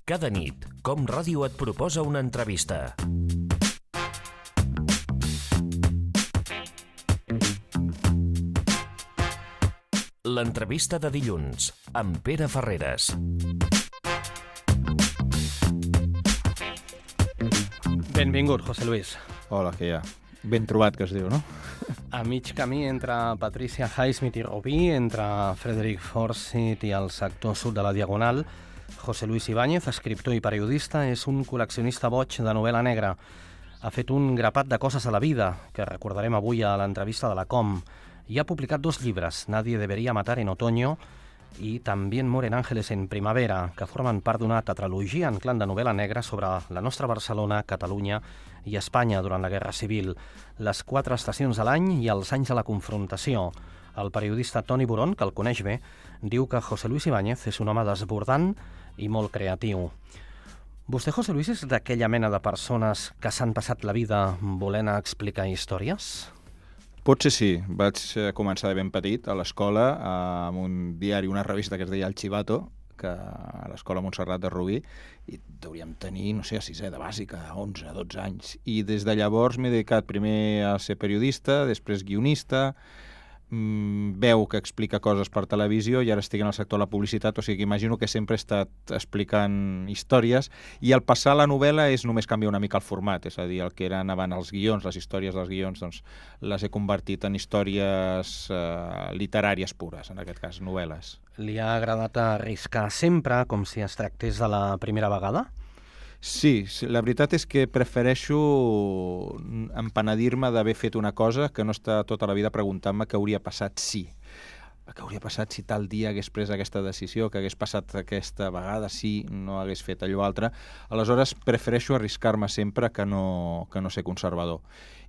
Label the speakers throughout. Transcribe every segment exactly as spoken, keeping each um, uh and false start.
Speaker 1: Cada nit, Com Ràdio et proposa una entrevista. L'entrevista de dilluns, amb Pere Ferreres.
Speaker 2: Benvingut, José Luis.
Speaker 3: Hola, que hi ha? Ben trobat, que es diu, no?
Speaker 2: A mig camí entre Patricia Highsmith i Rubí, entre Frederick Forsyth i el sector sud de la Diagonal, José Luis Ibáñez, escriptor i periodista, és un col·leccionista boig de novel·la negra. Ha fet un grapat de coses a la vida, que recordarem avui a l'entrevista de la Com, i ha publicat dos llibres, Nadie debería matar en otoño i También mueren ángeles en primavera, que formen part d'una tetralogia en clan de novel·la negra sobre la nostra Barcelona, Catalunya i Espanya durant la Guerra Civil, les quatre estacions de l'any i els anys de la confrontació. El periodista Toni Boron, que el coneix bé, diu que José Luis Ibáñez és un home desbordant i molt creatiu. Vostè, José Luis, és d'aquella mena de persones que s'han passat la vida volent explicar històries?
Speaker 3: Potser sí. Vaig començar de ben petit a l'escola amb un diari, una revista que es deia El Chivato, que a l'escola Montserrat de Rubí, i hauríem tenir, no sé, a sisè de bàsica, onze, dotze anys. I des de llavors m'he dedicat primer a ser periodista, després guionista, mmm, veu que explica coses per televisió i ara estic en el sector de la publicitat, o sigui que imagino que sempre he estat explicant històries i al passar la novel·la és només canviar una mica el format, és a dir, el que eren abans els guions, les històries dels guions, doncs les he convertit en històries eh, literàries pures, en aquest cas, novel·les.
Speaker 2: Li ha agradat arriscar sempre, com si es tractés de la primera vegada?
Speaker 3: Sí, la veritat és que prefereixo empenedir-me d'haver fet una cosa que no estar tota la vida preguntant-me què hauria passat si. Què hauria passat si tal dia hagués pres aquesta decisió, que hagués passat aquesta vegada, si no hagués fet allò altre. Aleshores, prefereixo arriscar-me sempre que no, que no ser conservador.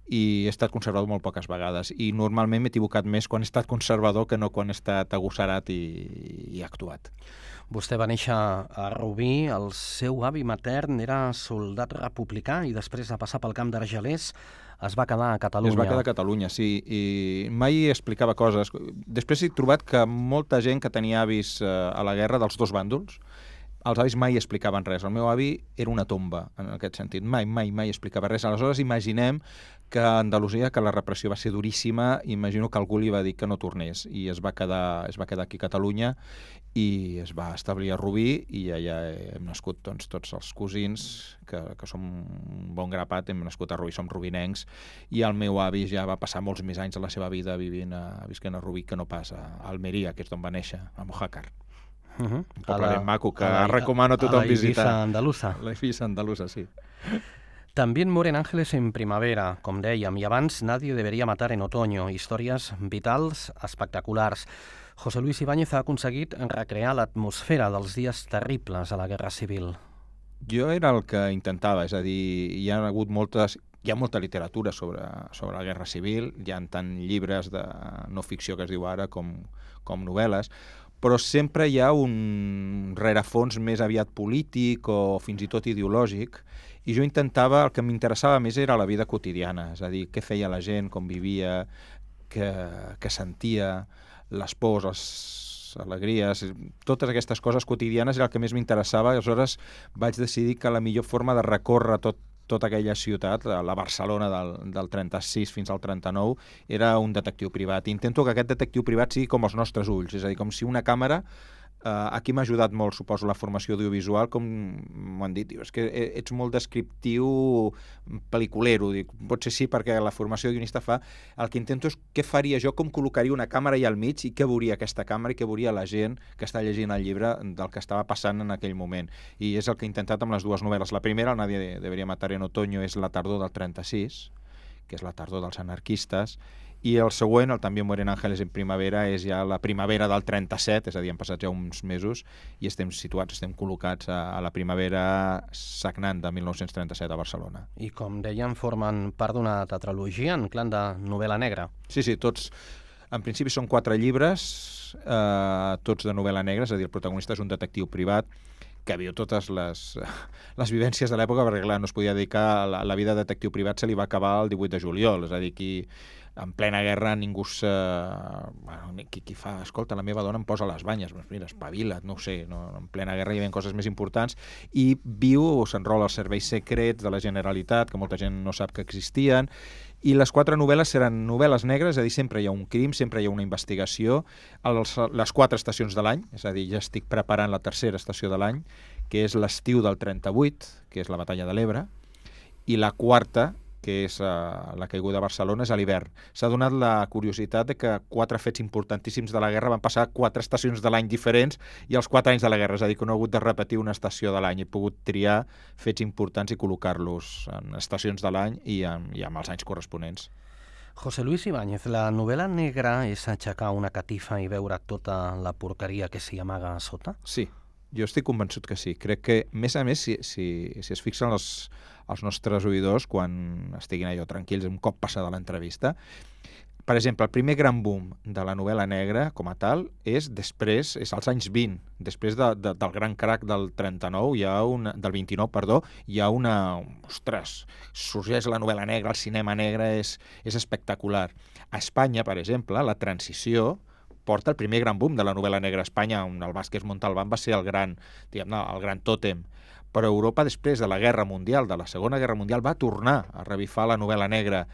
Speaker 3: I he estat conservador molt poques vegades. I normalment m'he equivocat més quan he estat conservador que no quan he estat agosserat i, i actuat.
Speaker 2: Vostè va néixer a Rubí, el seu avi matern era soldat republicà i després de passar pel camp d'Argelers es va quedar a Catalunya.
Speaker 3: Es va quedar a Catalunya, sí, i mai explicava coses. Després he trobat que molta gent que tenia avis a la guerra dels dos bàndols, els avis mai explicaven res. El meu avi era una tomba, en aquest sentit. Mai, mai, mai explicava res. Aleshores, imaginem que a Andalusia, que la repressió va ser duríssima, imagino que algú li va dir que no tornés i es va quedar, es va quedar aquí a Catalunya i es va establir a Rubí i allà hem nascut doncs, tots els cosins, que, que som un bon grapat, hem nascut a Rubí, som rubinencs, i el meu avi ja va passar molts més anys de la seva vida vivint a, visquent a Rubí que no pas a Almeria, que és d'on va néixer, a Mojácar.
Speaker 2: Uh -huh.
Speaker 3: Un poble ben maco que la, recomano a tothom visitar.
Speaker 2: A la Eivissa andalusa.
Speaker 3: La Eivissa andalusa, sí.
Speaker 2: También mueren ángeles en primavera, com dèiem, i abans Nadie debería matar en otoño, històries vitals, espectaculars. José Luis Ibáñez ha aconseguit recrear l'atmosfera dels dies terribles a la Guerra Civil.
Speaker 3: Jo era el que intentava, és a dir, hi ha hagut moltes... Hi ha molta literatura sobre, sobre la Guerra Civil, hi ha tant llibres de no ficció que es diu ara com, com novel·les, però sempre hi ha un rerefons més aviat polític o fins i tot ideològic, i jo intentava, el que m'interessava més era la vida quotidiana, és a dir, què feia la gent, com vivia, què, què sentia, les pors, les alegries, totes aquestes coses quotidianes era el que més m'interessava, i aleshores vaig decidir que la millor forma de recórrer tot tota aquella ciutat, la Barcelona del, del trenta-sis fins al trenta-nou, era un detectiu privat. I intento que aquest detectiu privat sigui com els nostres ulls, és a dir, com si una càmera... Uh, aquí m'ha ajudat molt, suposo, la formació audiovisual, com m'ho han dit, diu, és que ets molt descriptiu pel·liculero, dic, potser sí, perquè la formació de guionista fa, el que intento és què faria jo, com col·locaria una càmera allà al mig i què veuria aquesta càmera i què veuria la gent que està llegint el llibre del que estava passant en aquell moment. I és el que he intentat amb les dues novel·les. La primera, el Nadie debería matar en otoño, és la tardor del trenta-sis, que és la tardor dels anarquistes, i el següent, el También mueren ángeles en primavera, és ja la primavera del trenta-set, és a dir, han passat ja uns mesos i estem situats, estem col·locats a, a la primavera sagnant de mil nou-cents trenta-set a Barcelona.
Speaker 2: I com deien, formen part d'una tetralogia en clan de novel·la negra.
Speaker 3: Sí, sí, tots, en principi són quatre llibres, eh, tots de novel·la negra, és a dir, el protagonista és un detectiu privat que viu totes les, les vivències de l'època, perquè clar, no es podia dedicar a la, la vida de detectiu privat, se li va acabar el divuit de juliol, és a dir, qui en plena guerra ningú se... Bueno, qui, qui fa, escolta, la meva dona em posa les banyes, doncs mira, espavila't, no ho sé, no, en plena guerra hi havia coses més importants, i viu o s'enrola als serveis secrets de la Generalitat, que molta gent no sap que existien, i les quatre novel·les seran novel·les negres, és a dir, sempre hi ha un crim, sempre hi ha una investigació, els, les quatre estacions de l'any, és a dir, ja estic preparant la tercera estació de l'any, que és l'estiu del trenta-vuit, que és la batalla de l'Ebre, i la quarta, que és uh, la caiguda de Barcelona, és a l'hivern. S'ha donat la curiositat de que quatre fets importantíssims de la guerra van passar a quatre estacions de l'any diferents i els quatre anys de la guerra, és a dir, que no he hagut de repetir una estació de l'any. He pogut triar fets importants i col·locar-los en estacions de l'any i, en, i amb els anys corresponents.
Speaker 2: José Luis Ibáñez, la novel·la negra és aixecar una catifa i veure tota la porqueria que s'hi amaga a sota?
Speaker 3: Sí, jo estic convençut que sí. Crec que, més a més, si, si, si es fixen els, els nostres oïdors quan estiguin allò tranquils un cop passada l'entrevista, per exemple, el primer gran boom de la novel·la negra, com a tal, és després, és als anys vint, després de, de, del gran crac del trenta-nou, hi ha una, del vint-i-nou, perdó, hi ha una... Ostres, sorgeix la novel·la negra, el cinema negre, és, és espectacular. A Espanya, per exemple, la transició porta el primer gran boom de la novel·la negra a Espanya, on el Vázquez Montalbán va ser el gran, diguem-ne, el gran tòtem. Però Europa, després de la Guerra Mundial, de la Segona Guerra Mundial, va tornar a revifar la novel·la negra.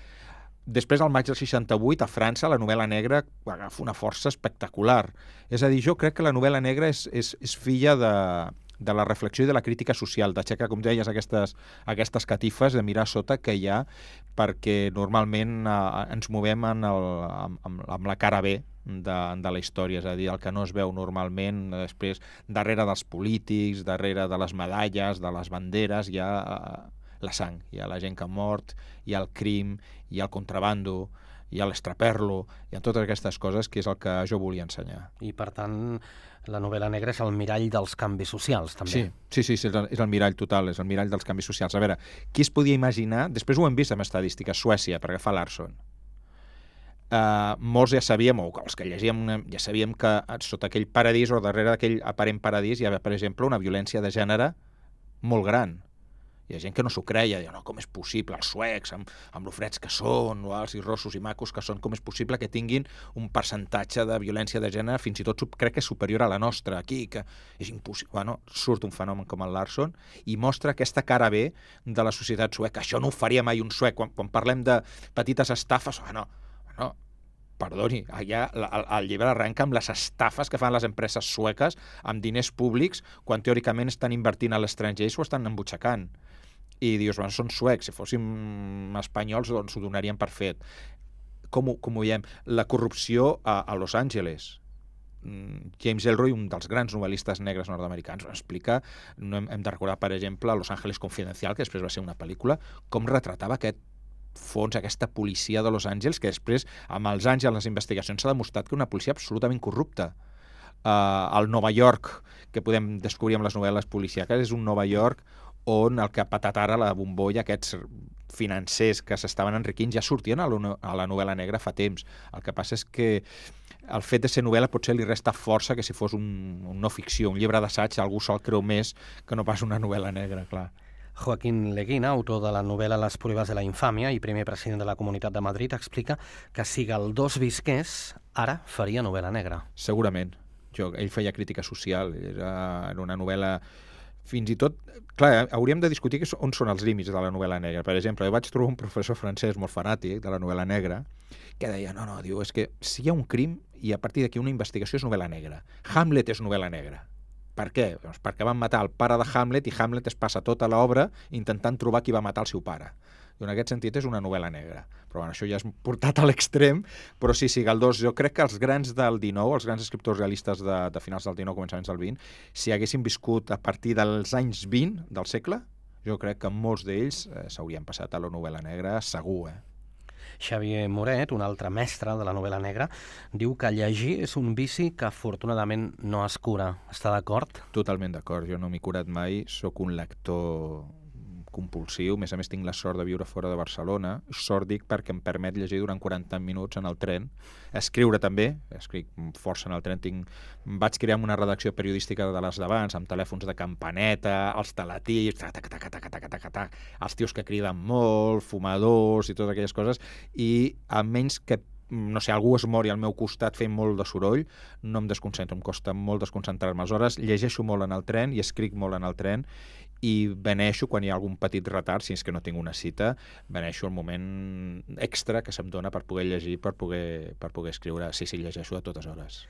Speaker 3: Després, al maig del seixanta-vuit, a França, la novel·la negra agafa una força espectacular. És a dir, jo crec que la novel·la negra és, és, és filla de, de la reflexió i de la crítica social, d'aixecar, com deies, aquestes, aquestes catifes, de mirar sota que hi ha, perquè normalment eh, ens movem en el, amb, amb la cara B de, de la història, és a dir, el que no es veu normalment, després, darrere dels polítics, darrere de les medalles, de les banderes, hi ha eh, la sang, hi ha la gent que ha mort, hi ha el crim, hi ha el contrabando, hi ha l'estraperlo, hi ha totes aquestes coses que és el que jo volia ensenyar.
Speaker 2: I, per tant, la novel·la negra és el mirall dels canvis socials, també.
Speaker 3: Sí, sí, sí, sí és, el, és el mirall total, és el mirall dels canvis socials. A veure, qui es podia imaginar... Després ho hem vist amb estadístiques, Suècia, per agafar Larsson. Uh, molts ja sabíem, o els que llegíem, ja sabíem que sota aquell paradís o darrere d'aquell aparent paradís hi havia, per exemple, una violència de gènere molt gran. Hi ha gent que no s'ho creia, diu, no, com és possible, els suecs, amb, amb lo freds que són, o els i rossos i macos que són, com és possible que tinguin un percentatge de violència de gènere fins i tot crec que és superior a la nostra aquí, que és impossible. Bueno, surt un fenomen com el Larsson i mostra aquesta cara B de la societat sueca. Això no ho faria mai un suec. Quan, quan parlem de petites estafes, bueno, bueno, perdoni, allà el, el llibre arrenca amb les estafes que fan les empreses sueques amb diners públics quan teòricament estan invertint a l'estranger i s'ho estan embutxacant. I dius, bueno, són suecs, si fóssim espanyols doncs ho donarien per fet. Com ho, com ho veiem? La corrupció a, a Los Angeles. James Ellroy, un dels grans novel·listes negres nord-americans, explica, no hem, hem de recordar, per exemple, Los Ángeles Confidencial, que després va ser una pel·lícula, com retratava aquest fons, aquesta policia de Los Angeles, que després, amb els anys i les investigacions, s'ha demostrat que una policia absolutament corrupta. Uh, el Nova York, que podem descobrir amb les novel·les policíaques, és un Nova York on el que ha patat ara la bombolla, aquests financers que s'estaven enriquint, ja sortien a la novel·la negra fa temps. El que passa és que el fet de ser novel·la potser li resta força que si fos un, un no ficció, un llibre d'assaig, algú se'l creu més que no pas una novel·la negra, clar.
Speaker 2: Joaquín Leguina, autor de la novel·la Les pruebas de la infàmia i primer president de la Comunitat de Madrid, explica que si Galdós visqués, ara faria novel·la negra.
Speaker 3: Segurament. Jo, ell feia crítica social, era, era una novel·la... Fins i tot, clar, hauríem de discutir on són els límits de la novel·la negra. Per exemple, jo vaig trobar un professor francès molt fanàtic de la novel·la negra que deia, no, no, diu, és que si hi ha un crim i a partir d'aquí una investigació és novel·la negra. Hamlet és novel·la negra. Per què? Doncs perquè van matar el pare de Hamlet i Hamlet es passa tota l'obra intentant trobar qui va matar el seu pare. I en aquest sentit és una novel·la negra. Però bueno, això ja és portat a l'extrem, però sí, sí, Galdós, jo crec que els grans del dinou, els grans escriptors realistes de, de finals del dinou, començaments del vint, si haguessin viscut a partir dels anys vint del segle, jo crec que molts d'ells eh, s'haurien passat a la novel·la negra segur, eh?
Speaker 2: Xavier Moret, un altre mestre de la novel·la negra, diu que llegir és un vici que afortunadament no es cura. Està d'acord?
Speaker 3: Totalment d'acord. Jo no m'he curat mai, sóc un lector compulsiu. A més a més, tinc la sort de viure fora de Barcelona. Sort dic perquè em permet llegir durant quaranta minuts en el tren. Escriure també, escric força en el tren. Tinc... Vaig crear una redacció periodística de les d'abans, amb telèfons de campaneta, els teletips, tac, tac, tac, tac, tac, tac, tac, els tios que criden molt, fumadors i totes aquelles coses, i a menys que no sé, algú es mori al meu costat fent molt de soroll, no em desconcentro, em costa molt desconcentrar-me. Aleshores, llegeixo molt en el tren i escric molt en el tren i beneixo quan hi ha algun petit retard, si és que no tinc una cita, beneixo el moment extra que se'm dona per poder llegir, per poder, per poder escriure. Sí, sí, llegeixo a totes hores.